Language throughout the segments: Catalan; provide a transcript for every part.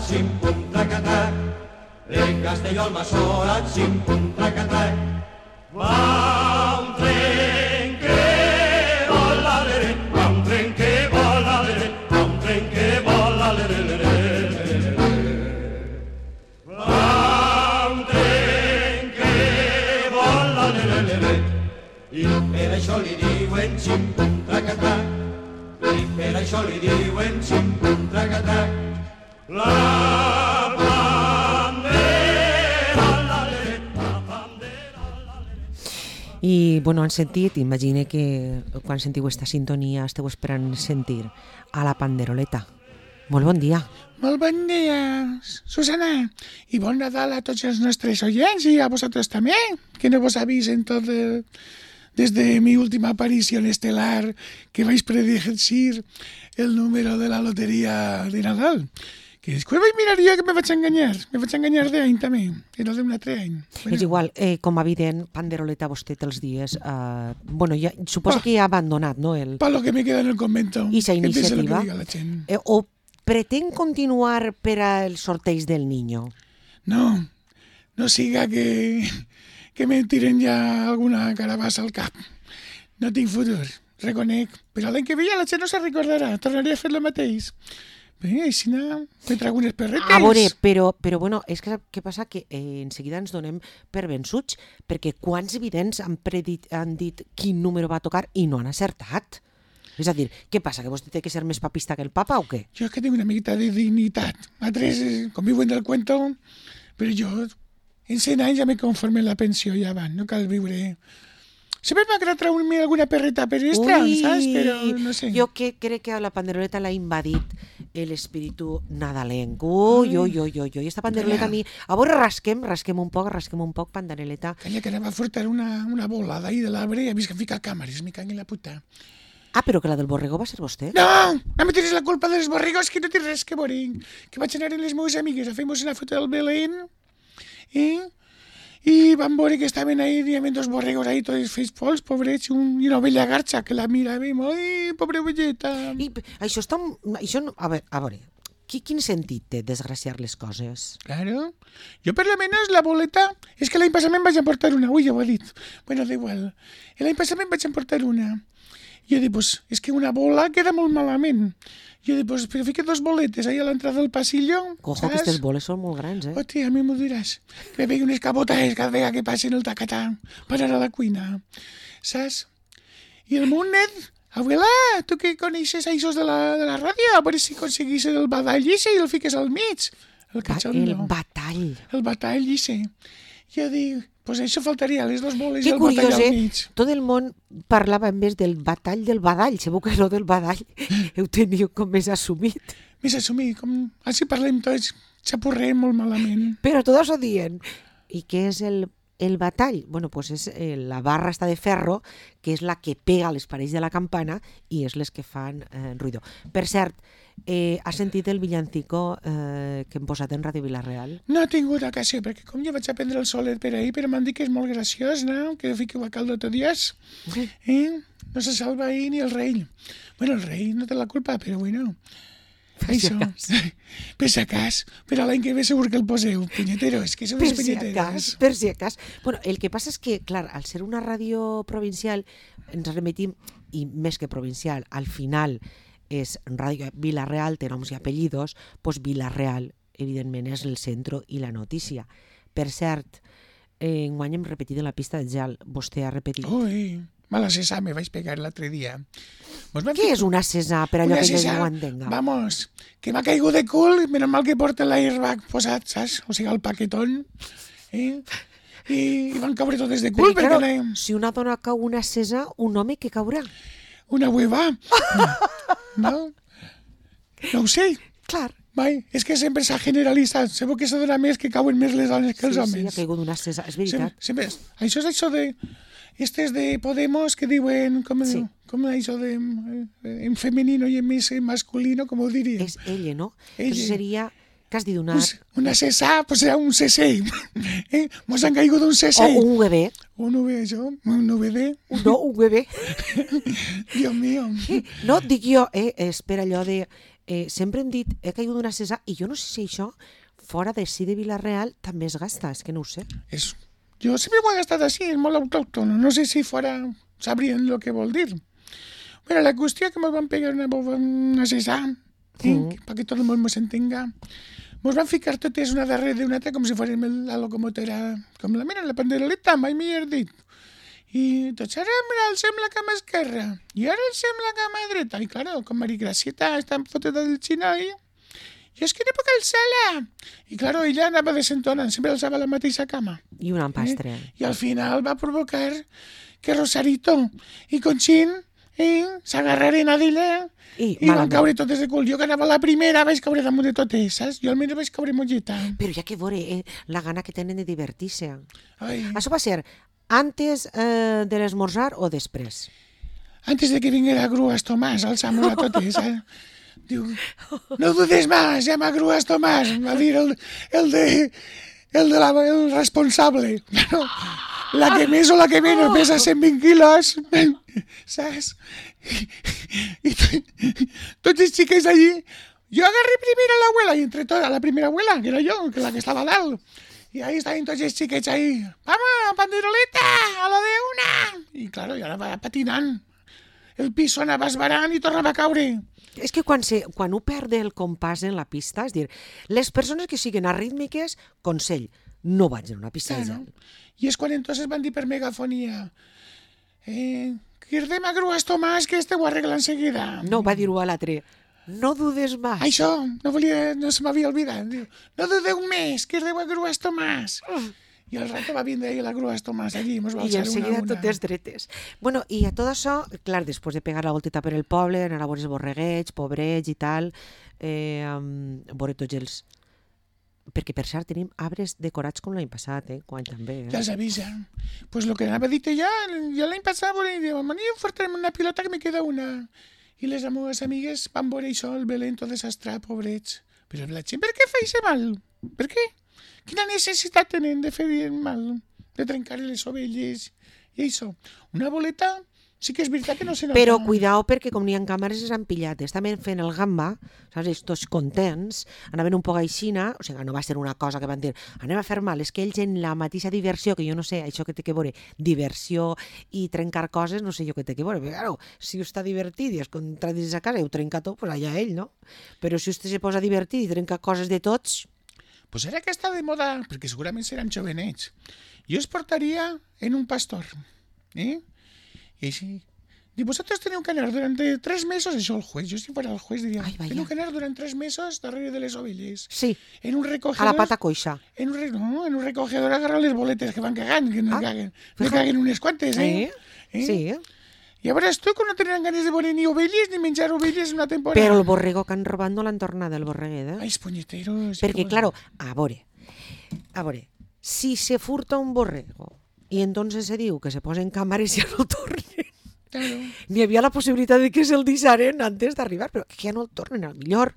xim-pum, traca-trac. En Castelló al Masora, xim-pum, traca-trac. Va un tren que vola, lere, va un tren que vola, lere, va un tren que vola, lere, lere. Va un tren que vola, lere, lere. I per això li diuen xim-pum, traca-trac. I per això li diuen xim-pum, traca-trac. La bandera, la lere, la bandera, la lere. I, bueno, han sentit, imagine que quan sentiu aquesta sintonia esteu esperant sentir a la panderoleta. Molt bon dia. Molt bon dia, Susana, i bon Nadal a tots els nostres oyents y a vosotros también, que no vos avisen desde mi última aparición estelar que vais a predecir el número de la lotería de Nadal. Que después vais a mirar jo que me vaig enganyar d'any també, que no d'un altre any. Bueno. És igual, com a evident, panderoleta vostè té els dies... bueno, ja, suposo que ja ha abandonat, no? Pa lo que me queda en el convento. I esa iniciativa. Que la gent. O pretén continuar per al sorteig del niño? No siga que me tiren ja alguna carabassa al cap. No tinc futur, reconec. Però l'any que ve ja la gent no se recordarà. Tornaré a fer el mateix. Bé, així me trago unes perretes. A veure, però bueno, és que què passa? Que en seguida ens donem per vençuts, perquè quants evidents han dit quin número va tocar i no han acertat. És a dir, què passa? Que vostè té que ser més papista que el papa o què? Jo és que tinc una miqueta de dignitat. Altres conviuen del cuento, però jo en 100 anys ja me conforme la pensió ja van, no cal viure... Sempre m'agrada traure alguna perreta per extra, saps? Però no sé. Jo crec que a la panderoleta l'ha invadit l'espíritu nadalenc. Ui. Esta panderoleta a mi... A veure, rasquem un poc, panderoleta. Calla, que anava a furtar una bola d'ahí de l'arbre i he vist que fica càmeres, me cago en la puta. Ah, però que la del borrego va ser vostè? No me tires la culpa dels borregos, que no té res que veure. Que vaig anar amb les meves amigues a fer-nos una foto del Belén, i vam veure que estaven ahí, hi havia dos borregos ahí, tots fets pols, pobrets, i una ovella garxa que la miràvem, ai, pobre ovelleta. I això està... A veure, quin sentit té desgraciar les coses? Claro. Jo per lo menos la boleta... És que l'any passament vaig emportar una, ja ho he dit. Bueno, da igual. L'any passament vaig emportar una. Jo dic, pues, és que una bola queda molt malament. Jo dic, pues, però fica dos boletes ahí a l'entrada del passillo. Cojo, aquestes boles són molt grans, Hòstia, a mi m'ho diràs. Que vegi unes cabotades cada vegada que passen el tacatà per anar a la cuina. Saps? I el meu net, abuela, tu que coneixes això de la ràdio, a veure si aconseguís el badall ese i el fiques al mig. El batall. El batall ese. Jo dic, pues això faltaria, les dos boles i el batall al mig. Tot el món parlava més del batall del badall. Segur que no del badall heu teniu com més assumit. Més assumit, com així parlem tots, xapurrem molt malament. Però tots ho dient. I què és el batall? Bueno, pues és la barra esta de ferro, que és la que pega les parets de la campana i és les que fan ruïdo. Per cert, has sentit el villancico que hem posat en Ràdio Vila-real? No he tingut ocasió, perquè com jo vaig aprendre el solet per ahir, però m'han dit que és molt graciós, no? Que fiqueu a caldo tot dies. No se salva ahir ni el rei. Bueno, el rei no té la culpa, però bueno... Això, per si acas, però l'any que ve segur que el poseu, punyeteros, que són les punyeteres. Per si acas. Bueno, el que passa és que, clar, al ser una ràdio provincial, ens remetim, i més que provincial, al final és Ràdio Vila-real, té noms i apellidos, doncs Vila-real, evidentment, és el centre i la notícia. Per cert, enguany hem repetit en la pista de gel, vostè ha repetit. Ui, mala cesà me vaig pegar l'altre dia. Què és una cesà, per allò que ella no ho entenga? Vamos, que m'ha caigut de cul, menys mal que porta l'airbag posat, saps? O sigui, el paquetón. I van caure totes de cul. Però, si una dona cau una cesà, un home què caurà? Una hueva. No? No ho sé. Clar. Vai, és que sempre s'ha generalitzat. Segur que s'ha donat més que cauen més les dones que els homes. Sí, ha caigut una cesà, és veritat. Sempre. Això és això de... Estes de Podemos que diuen, com això de en femenino i en masculino, com ho diria? És ella, no? Entonces seria, que has dit una... Una cesà, pues serà un CC. Mos han caigut un CC. O un bebé. Un bebé, això? Un bebé? No, un bebé. Dios mío. No, dic jo, és per allò de sempre hem dit, he caigut d'una cesar, i jo no sé si això, fora de sí de Vila-real, també es gasta, és que no ho sé. Yo siempre ho he gastat així, és molt autóctono. No sé si fuera sabrien lo que vol dir. Bueno, la qüestió que nos van pegar una cesar, para que todo el mundo se entenga. Nos van ficar totes una darrere d'una altra com si fórem la locomotora, com la panderoleta, mai millor dit. I tots, ara alcem la cama esquerra, i ara alcem la cama dreta. I claro, com Maria Gracieta està fotuda del xinoi, i és que no puc alçar-la. I claro, ella anava desentonant, sempre alçava la mateixa cama. I un empastre. I al final va provocar que Rosarito i Conchín s'agarraren a d'ella i van caure totes de cul. Jo que anava la primera vaig caure damunt de totes, saps? Jo almenys vaig caure molleta. Però ja que veure la gana que tenen de divertir-se. Ai. Això va ser antes de l'esmorzar o després? Antes de que vinguera Grúas Tomàs, alçamos-la totes, Diu, no dudes más, llama Grúas Tomàs, va dir el responsable. Bueno, la que més o la que menys pesa 120 quilos, saps? I tots els xiquets allí, jo agarré primer a l'abuela, i entre totes, a la primera abuela, que era jo, que la que estava dalt. I ahí estaven tots els xiquets ahí, vamos, panderoleta, a lo de una. I claro, jo anava patinant. El pis anava esbarant i tornava a caure. És que quan un perd el compàs en la pista, és dir, les persones que siguin arrítmiques, consell, no vaig en una pista de gel. I és quan entonces van dir per megafonia, cridem a Grúas Tomàs que este ho arregla enseguida. No, va dir-ho a l'altre, no dudes más. Això, no se m'havia oblidat. Diu, no dudeu més, crideu a Grúas Tomàs. I al rato va vindre ahí la Grúas Tomàs allí, mos va alçar una a una. I enseguida totes dretes. Bueno, i a tot això, clar, després de pegar la volteta per el poble, anar a veure els borreguets, pobrets i tal, veure tots els... Perquè, per cert, tenim arbres decorats com l'any passat, quan també. Ja els avisa. Pues lo que anava dit jo l'any passat, diu, jo fartarem una pilota que me queda una. I les meves amigues van veure això, el Belén tot desastrat, pobrets. Però la gent, per què feixe mal? Per què? Quina necessitat tenen de fer mal? De trencar les ovelles i això. Una boleta sí que és veritat que no se nota. Però cuidao perquè com n'hi ha càmeres les han pillat. Estaven fent el gamba, saps? Estos contents, anaven un poc aixina, o sigui, no va ser una cosa que van dir anem a fer mal, és que ells en la mateixa diversió, que jo no sé, això que té que veure, diversió i trencar coses, no sé jo què té que veure, perquè claro, si està divertit i es contra dins a casa i ho trenca tot, pues allà ell, no? Però si vostè se posa divertit i trenca coses de tots... Pues ara que està de moda, perquè segurament seran jovenets, jo es portaria en un pastor, I així, diu, vosaltres teniu que anar durant 3 mesos, això el juez, jo si fuera el juez diria, teniu que anar durant 3 mesos darrere de les ovelles. Sí, en un recogedor, a la pata coixa. En un recogedor agarrar les boletes que van cagant, que no caguen unes quantes, Sí. I a veure, tu que no tenen ganes de veure ni ovelles ni menjar ovelles una temporada. Però el borrego que han robat no l'han tornat del borreguet, Ai, puñeteros. Perquè, claro, a veure, si se furta un borrego i entonces se diu que se posen càmeres i ja no tornen, claro. N'hi havia la possibilitat de que se'l deixaren antes d'arribar, però que ja no el tornen, al millor.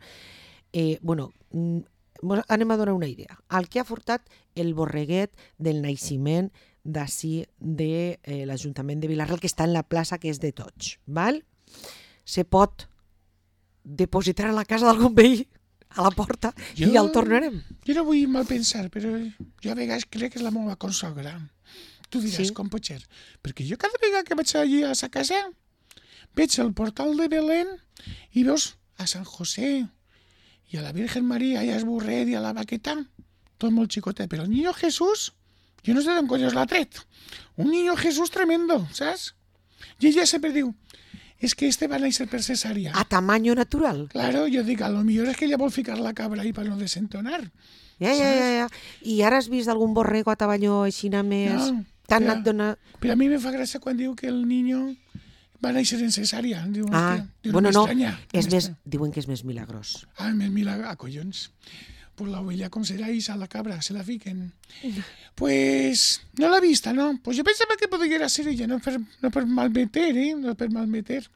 Anem a donar una idea. El que ha furtat el borreguet del naixement d'ací de l'Ajuntament de Vila-real, que està en la plaça que és de tots, val? Se pot depositar a la casa d'algun veí a la porta i ja el tornarem. Jo no vull mal pensar, però jo a vegades crec que és la meva consogra. Tu diràs, com pot ser? Perquè jo cada vegada que vaig allí a sa casa veig el portal de Belén i veus a Sant José i a la Virgen Maria i a Esborret i a la Baqueta, tot molt xicotet, però el Niño Jesús, jo no sé d'on collons l'ha tret. Un Niño Jesús tremendo, saps? I ella sempre diu, és que este va néixer per cesària. A tamaño natural. Claro, jo dic, a lo millor és que ella vol ficar la cabra ahí per no desentonar. Ja. I ara has vist algun borrego a tamaño aixina més... No, però a mi me fa gràcia quan diu que el niño va néixer en cesària. Diu, diuen que és més milagrós. Més milagrós, collons. Pues la ovella com serà i a la cabra, se la fiquen. Pues no l'ha vista, no? Pues jo pensava que podria ser ella, no per malmeter, no per malmeter.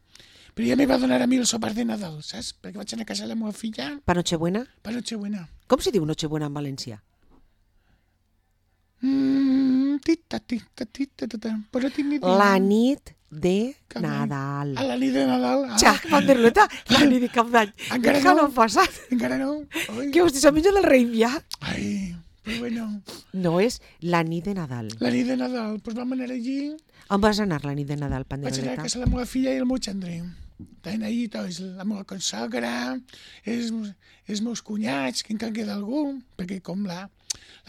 Però ja me va donar a mi el sopar de Nadal, saps? Perquè vaig anar a casa de la meva filla. Pa Nochebuena? Pa Nochebuena. Com se diu Nochebuena en valencià? La nit de Cap d'any. Nadal. A la nit de Nadal. Xac, Panderoleta, la nit de Cap d'any. Encara Encara no. no ha passat. Encara no. Oi. Que vostè s'ha menjat el raïm ja? Ai, però bueno. No és la nit de Nadal. La nit de Nadal, doncs vam anar allí. On vas anar la nit de Nadal, Vaig anar a Panderoleta? casa de la meva filla i el meu xandri. Estaven allí tots, la meva consogra, els meus cunyats, que encara queda algú, perquè com la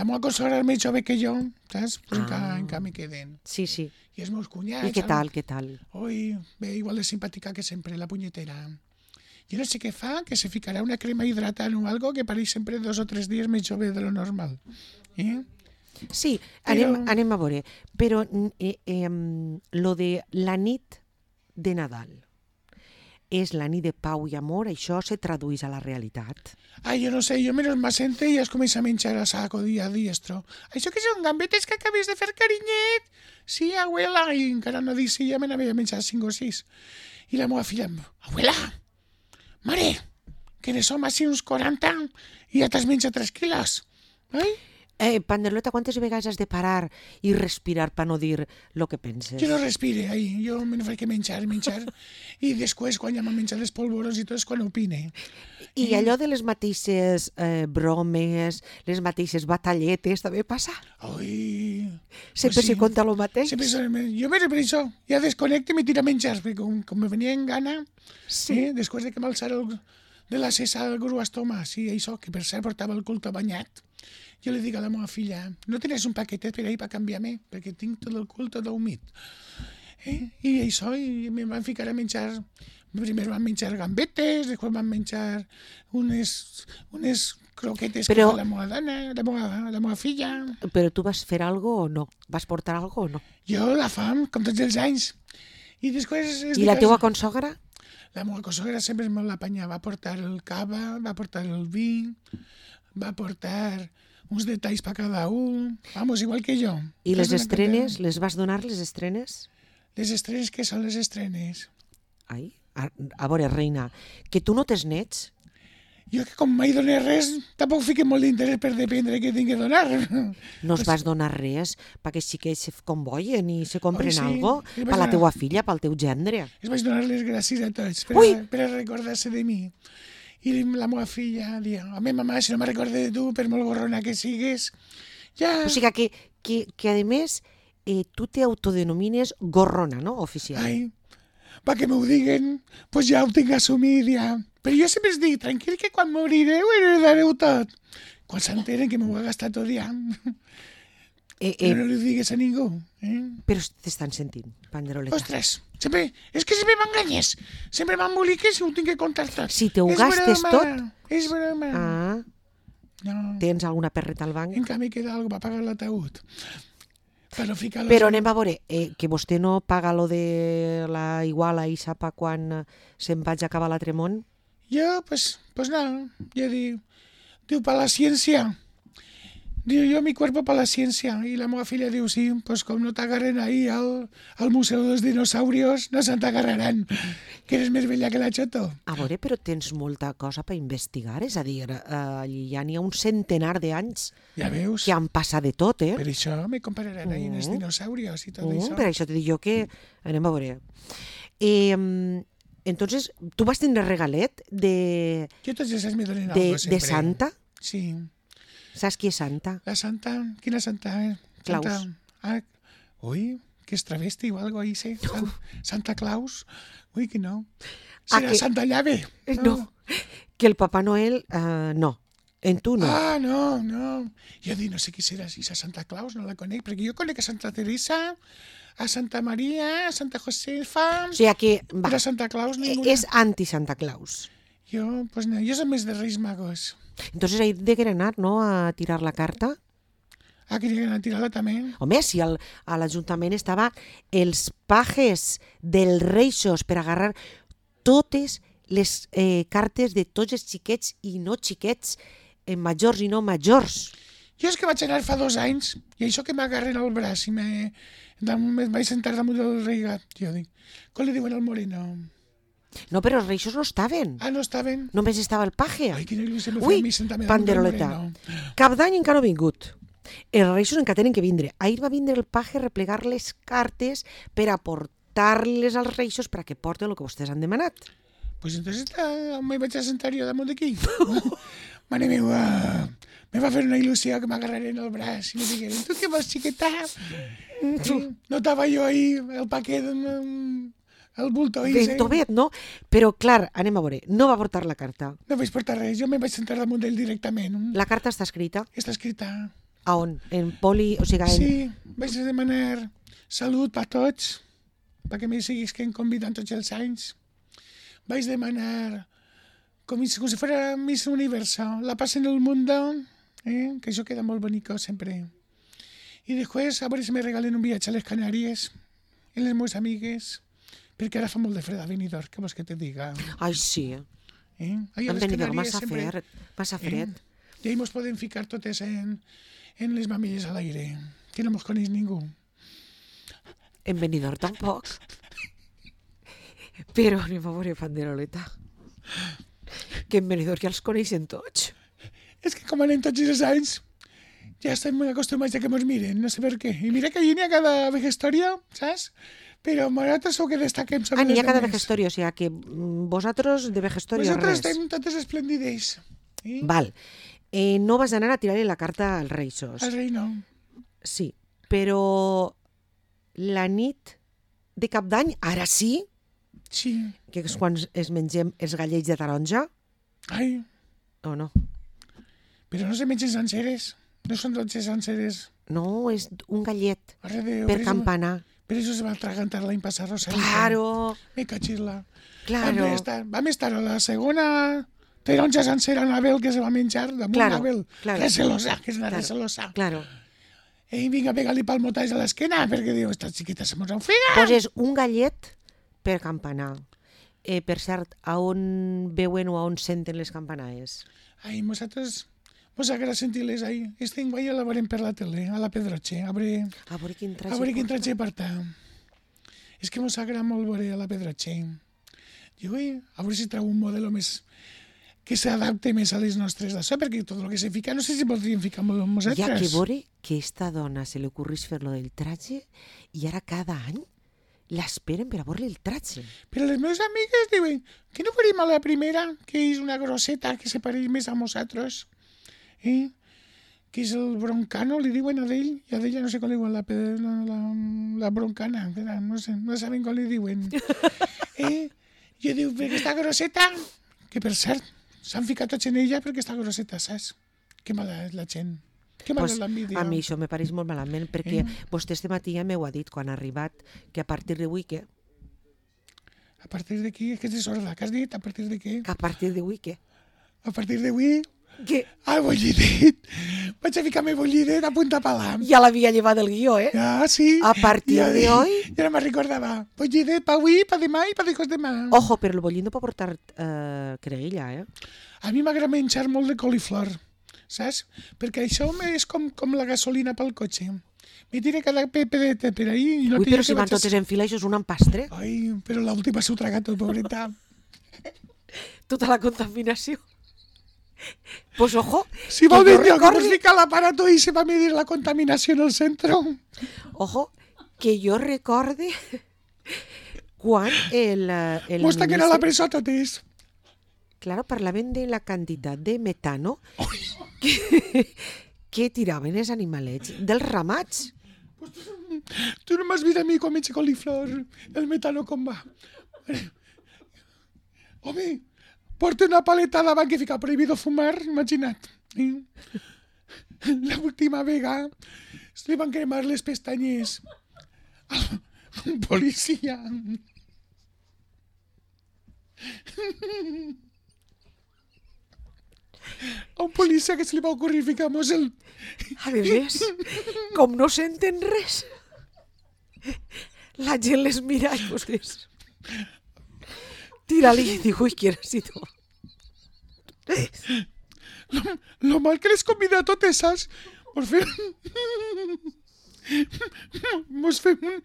meva consogra és més jove que jo, saps? Pues encara me queden. Sí, sí. I els meus cunyats... I què tal, què tal? Oi, bé, igual de simpàtica que sempre, la punyetera. Jo no sé què fa, que se ficarà una crema hidratant o algo que pareix sempre 2 o 3 dies més jove de lo normal. Sí, Però- anem a veure. Però lo de la nit de Nadal és la nit de pau i amor, això se tradueix a la realitat. Ai, jo no sé, jo menos m'assente i es comença a menjar a saco dia a diestro. Això que són gambetes que acabes de fer, carinyet? Sí, abuela, i encara no dic si ja me n'havia menjat 5 o 6. I la meva filla, abuela, mare, que ne som així uns 40 i ja t'has menjat 3 quilos. Ai? Panderoleta, quantes vegades has de parar i respirar per no dir el que penses? Jo no respire, ai, jo me ne faig que menjar, i després, quan ja m'han menjat les polvorons i tot, és quan opine. I allò de les mateixes bromes, les mateixes batalletes, també passa? Oi... Sempre se conta el mateix? Sempre jo per això, ja desconnecte i me tira a menjar, perquè com me venia en gana, Sí. després de que m'alçara de la cessa el gruastoma, sí, això, que per cert portava el culte banyat, jo li dic a la meva filla, no tens un paquetet per ahir per canviar-me, perquè tinc tot el cul tot humit. I això, i em van ficar a menjar, primer van menjar gambetes, després van menjar unes croquetes que Però- fa la meva dona, la meva filla. Però tu vas fer algo o no? Vas portar algo o no? Jo la fam, com tots els anys. I després... I la teua consogra? La meva consogra sempre me l'apanya. Va portar el cava, va portar el vi, va portar uns detalls per cada un. Vamos, igual que jo. I les Fes una estrenes? cosa. Les vas donar, les estrenes? Les estrenes, què són les estrenes? Ai, a veure, reina, que tu no tens nets? Jo que com mai doné res, tampoc fiquem molt d'interès per dependre què tinc que donar. No es vas donar res perquè sí que se convoyen i se compren Oi, sí. algo I per vas la a- teua filla, pel teu gendre. Es vaig donar les gràcies a tots Ui! per a recordar-se de mi. I la meva filla dia, home, mamà, si no me recordo de tu, per molt gorrona que sigues, ja... O sigui que a més, tu te autodenomines gorrona, no? Oficial. Ai, pa que m'ho diguen, pues ja ho tinc assumit, ja. Però jo sempre es dic, tranquil, que quan morireu heredareu tot. Quan s'enteren que m'ho ha gastat tot ja. Però no li digues a ningú. Però t'estan sentint, Panderoleta. Ostres, sempre, és que sempre m'enganyes. Sempre m'emboliques i ho tinc que contar tot. Si te ho És gastes broma, tot... És broma. Ah, No, tens alguna perreta al banc? en canvi queda alguna per pagar l'ataúd. Per no ficar Però anem a veure, que vostè no paga lo de la iguala i sapa quan se'n vaig acabar l'altre món? Jo, pues no, jo diu per la ciència. Diu, jo mi cuerpo para la ciència. I la meva filla diu, sí, pues com no t'agarren ahí al Museu dels Dinosaurios, no se'n t'agarraran, que eres més vella que la Xoto. A veure, però tens molta cosa per investigar, és a dir, allí ja n'hi ha un centenar d'anys Ja veus? que han passat de tot, Per això me compararan ahí en els dinosaurios i tot això. Per això t'he dit jo que... Anem a veure. Entonces, tu vas tindre regalet de Jo tots els anys me donen algo sempre. de Santa? Sí. Saps qui és Santa? La Santa, quina Santa? Claus. Ah, ui, que és travesti o algo ahí, sí. Santa Claus. Ui, que no. Serà que- Santa Llave. No, que el Papà Noel, no. En tu no. Ah, no. Jo dic, no sé qui serà, si és Santa Claus, no la conec, perquè jo conec a Santa Teresa, a Santa Maria, a Santa Josefa, O sigui que, va, però a Santa Claus ninguna. és anti-Santa Claus. Jo, pues no, jo som més de Reis Magos. Entonces ahí de anar, no?, a tirar la carta. Ah, querían tirarla també. Home, si a l'Ajuntament estava els pajes dels Reixos per agarrar totes les cartes de tots els xiquets i no xiquets, majors i no majors. Jo és que vaig anar fa 2 anys, i això que m'agarren al braç i me vaig sentar damunt del rei gat. Jo dic, com li diuen al moreno? No, però els Reixos no estaven. Ah, no estaven? Només estava el paje. Ai, quina il·lusió me Ui, fa a mi sentar-me damunt del Panderoleta. moreno. Cap d'any encara no ha vingut. Els Reixos encara tenen que vindre. Ahir va vindre el paje a replegar les cartes per a portar portar-les als Reixos perquè porten el que vostès han demanat. Pues entonces me vaig a sentar jo damunt d'aquí. Mare meva, me va fer una il·lusió que m'agarraren el braç i me digueren, tu què vols, xiqueta? Notava jo ahir el paquet, el bulto. Ben tovet, no? Però, clar, anem a veure, no va portar la carta. No vaig portar res, jo me vaig sentar damunt d'ell directament. La carta està escrita? Està escrita. A on? En poli? O sigui, Sí, vaig demanar salut per tots, perquè me seguisquen convidant tots els anys. Vaig demanar, com si fuera Miss Universo, la paz en el mundo, que això queda molt bonico sempre. I després, a veure si me regalen un viatge a les Canàries, amb les meves amigues, perquè ara fa molt de fred a Benidorm, què vols que te diga? Ai, sí. Ahir a En les Benidorm Canàries sempre... massa fred. I ahí mos podem ficar totes en les mamelles a l'aire, que no mos coneix ningú. En Benidorm tampoc. Però anem a veure, Panderoleta, que en Benidorm ja els coneixen tots. És que com anem tots els anys, ja estem acostumats a que mos miren, no sé per què. I mira que allí n'hi ha cada vegestòria, saps? Però nosaltres sou que destaquem sobre N'hi les ha cada demés. vegestòria, o sigui que vosaltres de vegestòria Nosaltres res. estem totes esplèndides. Val. No vas anar a tirar-li la carta als Reixos. El rei no. Sí, però la nit de Cap d'Any, ara sí, Sí. que és quan es mengem els gallets de taronja, Ai, o no? però no se mengen senceres. No són 12 senceres. No, és un gallet Arre Déu, per campanar. Per això se va atragantar l'any passat, Rosalita. Claro, Me cachis-la. claro. Vam estar a la segona taronja sencera Anabel que se va menjar damunt Claro, Anabel. claro. Recelosa, que és una Claro. recelosa. Claro. I vinga a pegar-li palmotalls a l'esquena perquè diu, esta xiquita se mos enfega. Pues és un gallet per campanar. Per cert, a on veuen o a on senten les campanades? Ai, nosaltres mos agrada sentir-les ahí. Este guai la veurem per la tele, a la Pedroche. A veure quin quin traje porta. És que mos agrada molt veure a la Pedroche. I ui, a veure si trau un modelo més que s'adapte més a les nostres d'això, perquè tot el que se fica, no sé si podríem ficar molt amb Hi ha que nosaltres. veure que esta dona se li ocorreix fer-lo del traje i ara cada any l'esperen per a veure el traje. Però les meves amigues diuen que no faríem a la primera, que és una grosseta que se pareix més a nosaltres. Que és el broncano, li diuen a d'ell, i a d'ella no sé com li diuen, la broncana, no sé, no saben com li diuen. Jo diu, perquè està grosseta, que per cert, s'han ficat tots en ella perquè està grosseta, saps? Que mala és la gent. Que mala Pues, és l'envidia. a mi això me pareix molt malament perquè vostè este matí ja m'ho ha dit quan ha arribat que a partir d'avui què? A partir d'aquí, és que és de sorda, que has dit? A partir de què? Que a partir d'avui què? A partir d'avui... Que Bollidet! Vaig a ficar-me bollidet a punta palam. ja l'havia llevat del guió, eh? Ah, sí. A partir de hoy... Ja no me recordava. Bollidet pa avui, pa demà i pa després demà. Ojo, però el bollín no pot portar creïlla, eh? A mi m'agrada menjar molt de coliflor, saps? Perquè això és com la gasolina pel cotxe. Me tira cada pepedet per ahí i no Ui, tinc però si van totes en fila, això és un empastre. Ai, però l'última s'ho traga tot, pobreta. Tota la contaminació. Pues ojo, Si que vol jo dir que recorde- us fica l'aparato i se va medir la contaminació en el centre. Ojo, que jo recorde quan el Mos taquen a la ministre... presó totes. Claro, parlaven de la quantitat de metano que tiraven els animalets dels ramats. Tu no m'has vist a mi quan menjo coliflor, el metano com va. Home, porta una paleta davant que fica prohibido fumar, imagina't. L'última vegada se li van cremar les pestanyes a un policia. A un policia que se li va ocorrir ficar-nos el... A més, com no senten res, la gent les mira i vostès... Tira-li i diu, ui, qui ha sido? Lo mal que les convida a totes, saps? Mos fem un...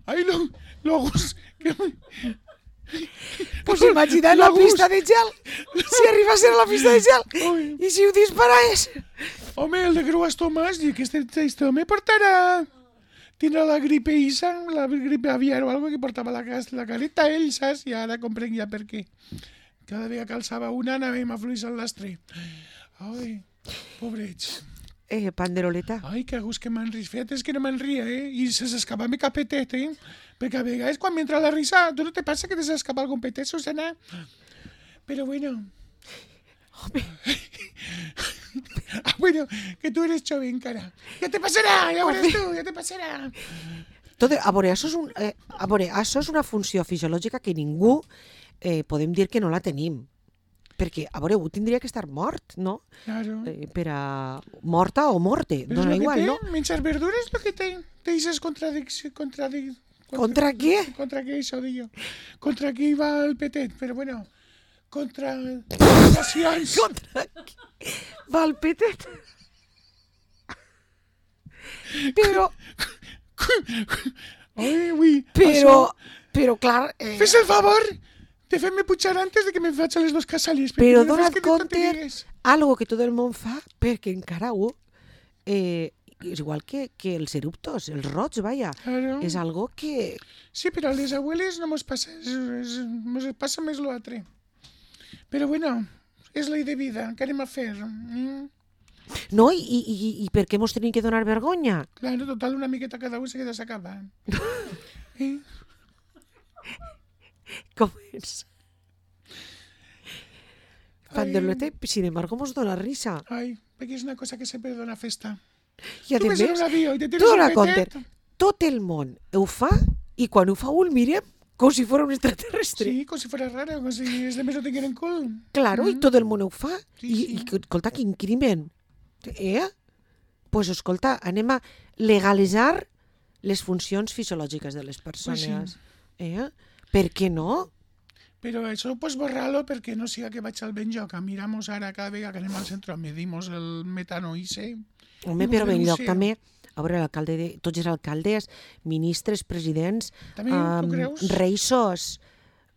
Ai, lo gust... Pues imagina't la pista de gel. Si arribés a la pista de gel Ui. i si ho disparaés. Home, el de Grues Tomàs, i aquest home portarà... Tindrà la gripe Isa, la gripe aviar o algo que portava la careta ell, saps? I ara comprenc ja per què. Cada vegada que alçava una anàvem a fluir el lastre. Ai, pobrets. Panderoleta. Ai, que gust que m'han rit. Fíjate, és que no me'n ria, I se s'escapa mi capetet, Perquè a vegades quan m'entra la risa, tu no te passa que te s'escapa algun petet, Susana? Però bueno... Home, bueno, que tu eres jove encara. Ja te passarà, ja veuràs tu, ja te passarà. a veure, això és una funció fisiològica que ningú podem dir que no la tenim. Perquè, a veure, ho tindria que estar mort, no? Claro. Per a morta o morte, Però dona és igual, que no? Menjar verdures és el que té. Té aquestes contradiccions. Contra què? Contra què, això dic jo? Contra qui va el petet, però bueno... Contra relacions. Contra qui? Va el petet. Però, Ai, ui, però clar... Fes el favor de fer-me pujar antes de que me faig a les dos casalies. Però dona't compte algo que tot el món fa, perquè encara ho... és igual que els eruptos, els rots, vaja. Claro. És algo que... Sí, però a les abueles no mos passa, mos passa més l'altre. Però bueno, és la de vida, què anem a fer? No, i per què mos tenim que donar vergonya? Claro, total, una miqueta cada un se queda s'acaba. Com és? Panderolete, sin embargo, mos dona risa. Ai, perquè és una cosa que sempre dona festa. I a Tu ves en més, un avió i te tu tires un dona compte, petet. tot el món ho fa i quan ho fa ho el mirem com si fos un extraterrestre. Sí, com si fos raro, com si els demés no tingueren cul. Claro, i tot el món ho fa. Sí, I escolta, quin crimen. Pues escolta, anem a legalitzar les funcions fisiològiques de les persones. Per què no? Però això pots borrar-lo perquè no siga que vaig al ben lloc. Miramos ara cada vegada que anem al centre, medimos el metano IC. Home, però ben lloc també. A veure, tots els alcaldes, ministres, presidents, També, tu creus? reisos,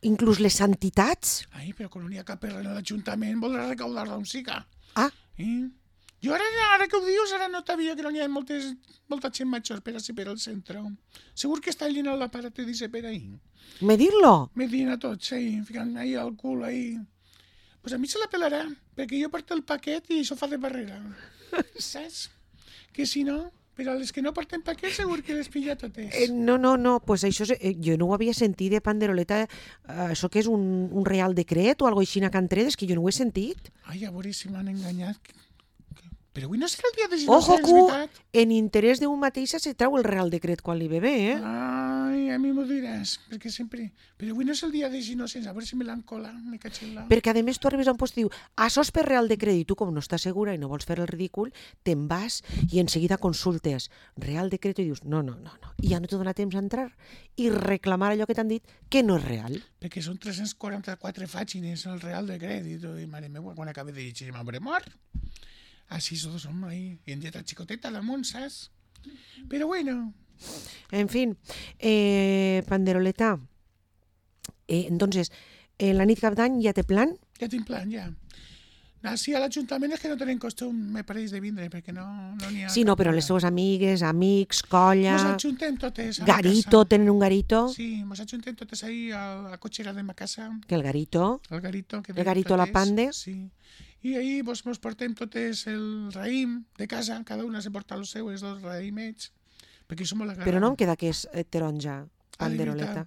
inclús les entitats. Ai, però quan no n'hi ha cap perra en l'Ajuntament voldrà recaudar d'on siga. Ah, Jo ara que ho dius, ara no t'havia que no n'hi ha molta gent major per així per al centre. Segur que està llenant l'aparat i dice per ahí. medir-lo. Medint a tots, ficant ahí al cul, ahí. Pues a mi se la pelarà, perquè jo porto el paquet i això fa de barrera. Saps? Que si no, però les que no porten paquet segur que les pilla totes. No, pues això jo no ho havia sentit de Panderoleta, això que és un real decret o algo així a Can Tredes, que jo no ho he sentit. Ai, a veure si m'han enganyat. Però avui no serà el dia dels Ojo, innocents, que veritat? en interès d'un mateixa se trau el real decret quan li ve bé, Ai, a mi m'ho diràs, perquè sempre... Però avui no és el dia dels innocents, a veure si me l'han colat, me cachet la... Perquè a més tu arribes a un post i diu això és per real decret i tu com no estàs segura i no vols fer el ridícul, te'n vas i en seguida consultes real decret i dius no, i ja no t'ho dona temps a entrar i reclamar allò que t'han dit que no és real. Perquè són 344 pàgines el real decret i tu, mare meva, quan acabe de llegir m'hauré mort. Així som ahí, en lletra xicoteta damunt, saps? Però bueno... En fin, Panderoleta, entonces, la nit cap d'any ja té plan? Ja tinc plan, ja. Sí, a l'Ajuntament és que no tenen costum, me pareix, de vindre, perquè no n'hi ha... Sí, no, però les seues amigues, amics, colla... Mos ajuntem totes a Garito, la casa. tenen un garito? Sí, mos ajuntem totes ahí a la cotxera de ma casa. Que el garito? El garito. Que El garito a la pande? Sí. I ahí mos portem totes el raïm de casa, cada una se porta el seu, els dos raïmets, perquè som molt agradats. Però no em queda que és taronja, Panderoleta.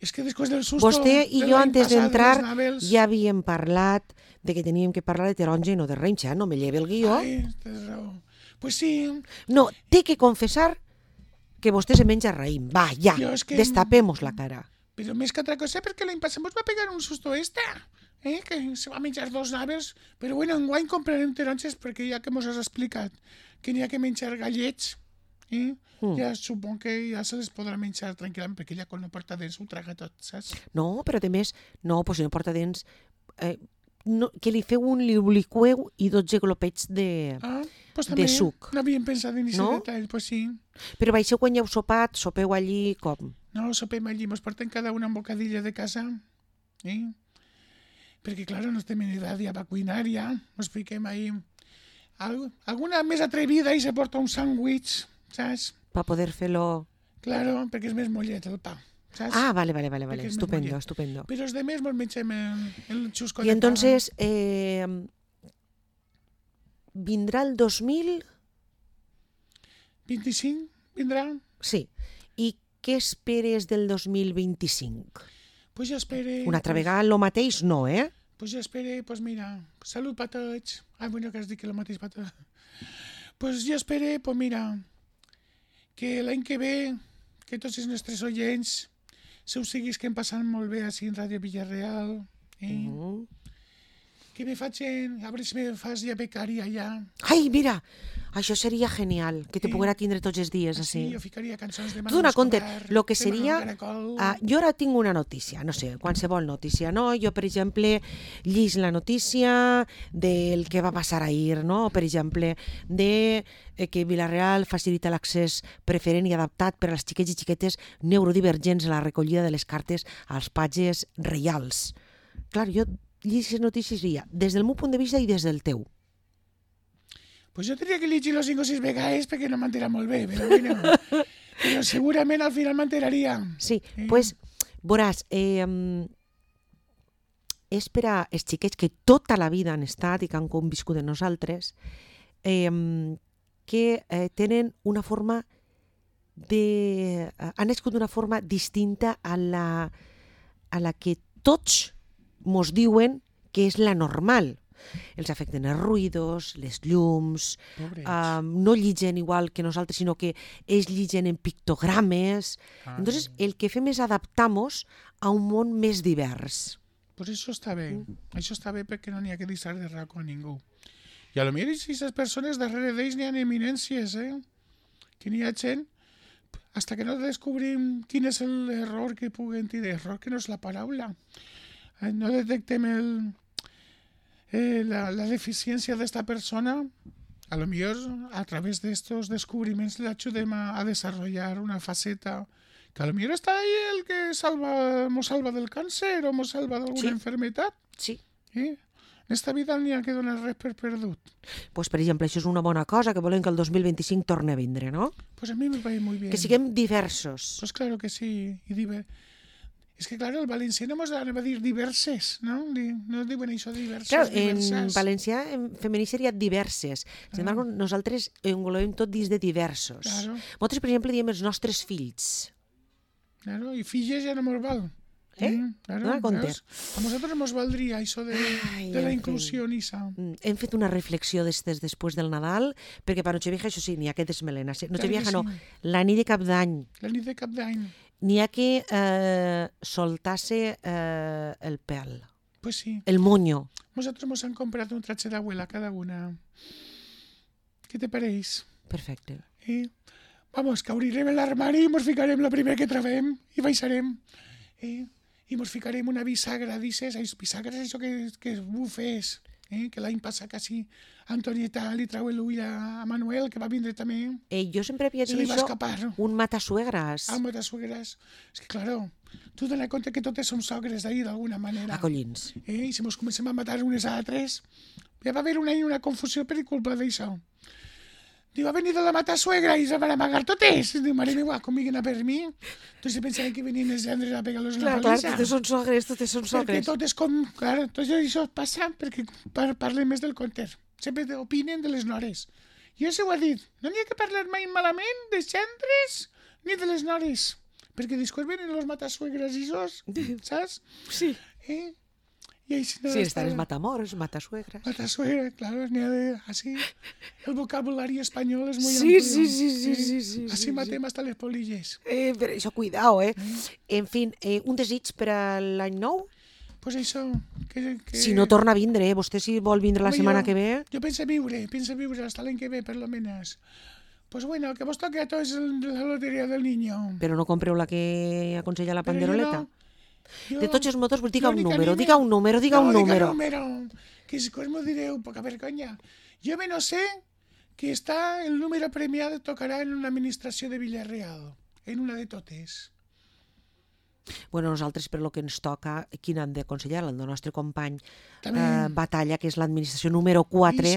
És que després del susto... Vostè i jo, antes d'entrar, Navels... ja havíem parlat de que teníem que parlar de taronja i no de raïm, no me lleve el guió. Ai, tens raó. Pues sí. No, té que confessar que vostè se menja raïm. Va, ja, Jo és que- destapemos la cara. Però més que altra cosa, perquè l'any passat mos va pegar un susto que se va menjar 2 naves, però bueno, enguany comprarem taronges perquè ja que mos has explicat que n'hi ha que menjar gallets, ja supon que ja se les podrà menjar tranquil·lament, perquè ja quan no porta dents ho traga tot, saps? No, però a més, no, pues si no porta dents, no, que li feu li liqueu i 12 glopets de... Pues de també suc. No havíem pensat en aquest No? detall, pues sí. Però baixeu quan ja heu sopat, sopeu allí com... No sopem allí, mos porten cada una un bocadillo de casa. Perquè, clar, no estem en edat ja per cuinar, ja. Mos fiquem ahí. Alguna més atrevida i se porta un sàndwich, saps? Per poder fer-lo... Claro, perquè és més mollet el pa, saps? Ah, vale. Perquè és Estupendo, molt estupendo. Però els demés mos mengem el xusco Y de entonces, ¿vendrá el 2000? pa. 25 vindrà? Sí. ¿Y què esperes del 2025? Pues jo espere... Una altra vegada el mateix no, eh? Pues jo espere, pues mira, salut per tots. Ah, bueno, que has dit que el mateix per tots. Pues jo espere, pues mira, que l'any que ve, que tots els nostres oients se ho seguisquen passant molt bé així en Ràdio Villarreal. Que me facin, a veure si me fas ja becària ja. Ai, mira, això seria genial, que te poguera tindre tots els dies, Sí, així. jo ficaria cançons de Tu Manolo dona compte, Escobar, lo que de seria... Manolo Caracol. Jo ara tinc una notícia, no sé, qualsevol notícia, no? Jo, per exemple, llis la notícia del que va passar ahir, no? Per exemple, de que Vila-real facilita l'accés preferent i adaptat per als xiquets i xiquetes neurodivergents a la recollida de les cartes als patges reials. Clar, jo llis les notícies diria, des del meu punt de vista i des del teu. Pues jo tenia que llegir-lo 5 o 6 vegades perquè no m'entera molt bé, però bueno. Però segurament al final m'enteraria. Sí, pues, veuràs, és per als xiquets que tota la vida han estat i que han conviscut amb nosaltres, que tenen una forma han nascut d'una forma distinta a la que tots mos diuen que és la normal. Els afecten els ruïdos, les llums, no lligen igual que nosaltres, sinó que ells lligen en pictogrames. Entonces, el que fem és adaptar-nos a un món més divers. Pues això està bé. Això està bé perquè no n'hi ha que deixar de raco a ningú. I a lo millor aquestes persones darrere d'ells n'hi ha eminències, que n'hi ha gent, hasta que no descobrim quin és l'error que puguen tenir. Error que no és la paraula. No detectem la deficiència d'esta persona, a lo millor a través d'estos descobriments le ayudem a desarrollar una faceta que a lo millor està ahí el que mos salva del càncer o mos salva d'alguna enfermetat. Sí. En esta vida n'hi ha que donar res per perdut. Pues, per exemple, això és una bona cosa, que volem que el 2025 torni a vindre, no? Pues a mi me parece muy bien. Que siguem diversos. Pues claro que sí. Es que, claro, el valenciano nos va a dir diverses, ¿no? No diuen això, diversos, Claro, diversas. en valencià, en femení seria diverses. Sin embargo, nosaltres englobem tot dins de diversos. Claro. Nosaltres, per exemple, diem els nostres fills. Claro, i filles ja no mos val. Claro, Dona compte. veus? A nosaltres mos valdria això de la inclusió, Nisa. Hem fet una reflexió d'estes després del Nadal, perquè per Nochevieja, això sí, n'hi ha que desmelena. Nochevieja no, la nit de Cap d'Any. La nit de Cap d'Any. N'hi ha que soltar-se el pèl, Pues sí. el moño. Nosaltres mos han comprat un traje d'abuela cada una. Què te pareix? Perfecte. Vamos, que obrirem l'armari i mos ficarem la primer que trobem i baixarem. I mos ficarem una bisagra, dices, bisagra és això que bufes, que l'any passat quasi Antonieta li trau l'ull a Manuel, que va vindre també. Jo sempre havia Se dit li va això, escapar. un matasuegres. Matasuegres. És que, claro, tu dona compte que totes som sogres d'ahir, d'alguna manera. Acollins. I si mos comencem a matar unes a altres, ja va haver una confusió per culpa d'això. Diu, ha venit la matasuegra i se van amagar totes. Diu, mare meva, com vinguin a per mi? Entonces pensava que venien els gendres a pegar-los la paliza. totes són sogres, totes són Perquè sogres. tot és com... Clar, tot això passa perquè parlen més del conter. Sempre opinen de les nores. I això ho ha dit. No n'hi ha que parlar mai malament dels gendres ni de les nores. Perquè després venen els matasuegres i sos, saps? Sí. Y ahí Sí, estan els matamors, matasuegres. Matasuegra, claro, así. El vocabulario español es muy Sí, amplio. sí. Así matem hasta les polilles. Però això, cuidao, En fin, un desig per a l'any nou? Pues això, que... Si no torna a vindre, vostè si vol vindre la Home, setmana jo- que ve... Jo penso viure hasta l'any que ve, per lo menos. Pues bueno, que vos toque a tots la loteria del niño. Però no compreu la que aconsella la Però jo panderoleta. no. Jo- De tots els motos, diga un l'única número, nina- diga un número, diga un No, número. Que després m'ho direu, poca vergonya. Jo no sé que el número premiat tocarà en una administració de Villarreal, en una de totes. Bueno, nosaltres, per lo que ens toca, quin han d'aconsellar? El nostre company Batalla, que és l'administració número 4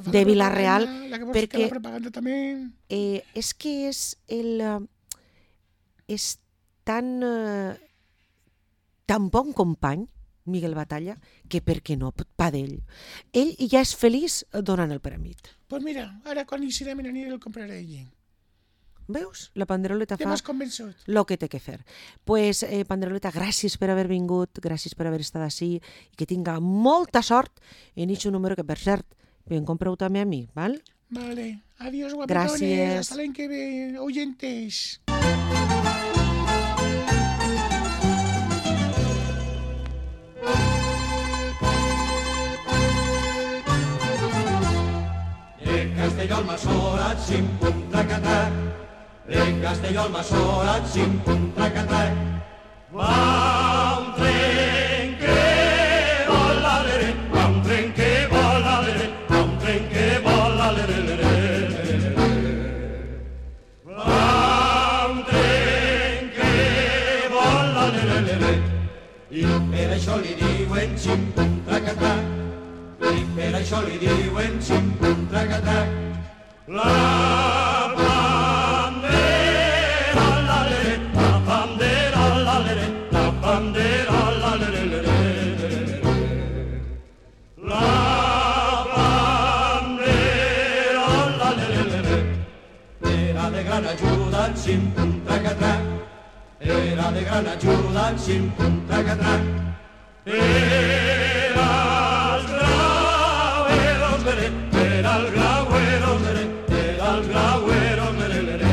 de Vila-real, perquè la propaganda també. És que és tan bon company, Miguel Batalla, que per què no pa d'ell. Ell ja és feliç donant el permit. Pues mira, ara quan hi serem aniré el compraré allí. Veus? La Panderoleta Ja fa m'has convençut. el que té que fer. Pues, Panderoleta, gràcies per haver vingut, gràcies per haver estat així i que tinga molta sort en aquest número que, per cert, ben compreu també a mi, val? Vale. Adiós, guapetones. Gràcies. Hasta l'any que ve, oyentes. Castelló al Masora, xim-pum, trac-a-trac. Castelló al Masora, xim-pum, trac-a-trac. Va un tren que vola, lere, va un tren que vola, lere, va un tren que vola, lere, lere. Va un tren que vola, lere, lere. I per això li diuen xim-pum, trac-a-trac. I per això li diuen xim-pum, trac-a-trac. La bandera, la lere, la bandera, la lere, la bandera, la lere, lere. La bandera, la lere, lere. Era de gran ajuda el xim-pum, trac-a-trac. Era de gran ajuda el xim-pum, trac-a-trac. Era el grauero, lere, era el grauero, lere, era el grauero, lere, lere,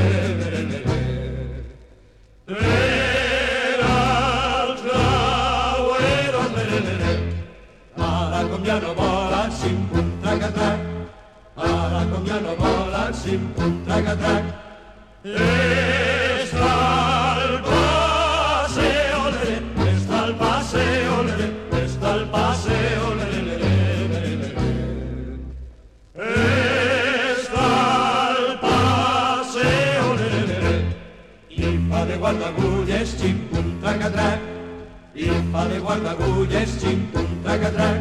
lere. Era el grauero, lere, lere. Ara com ja no vola el xim-pum, trac-a-trac. Ara com ja no vola el xim-pum, trac-a-trac. Està el paseo, lere, està el paseo, lere, està el paseo, lere, lere, lere. Està el paseo, lere, lere. I fa de guardagulles, xim-pum, trac-a-trac. I fa de guardagulles, xim-pum, trac-a-trac.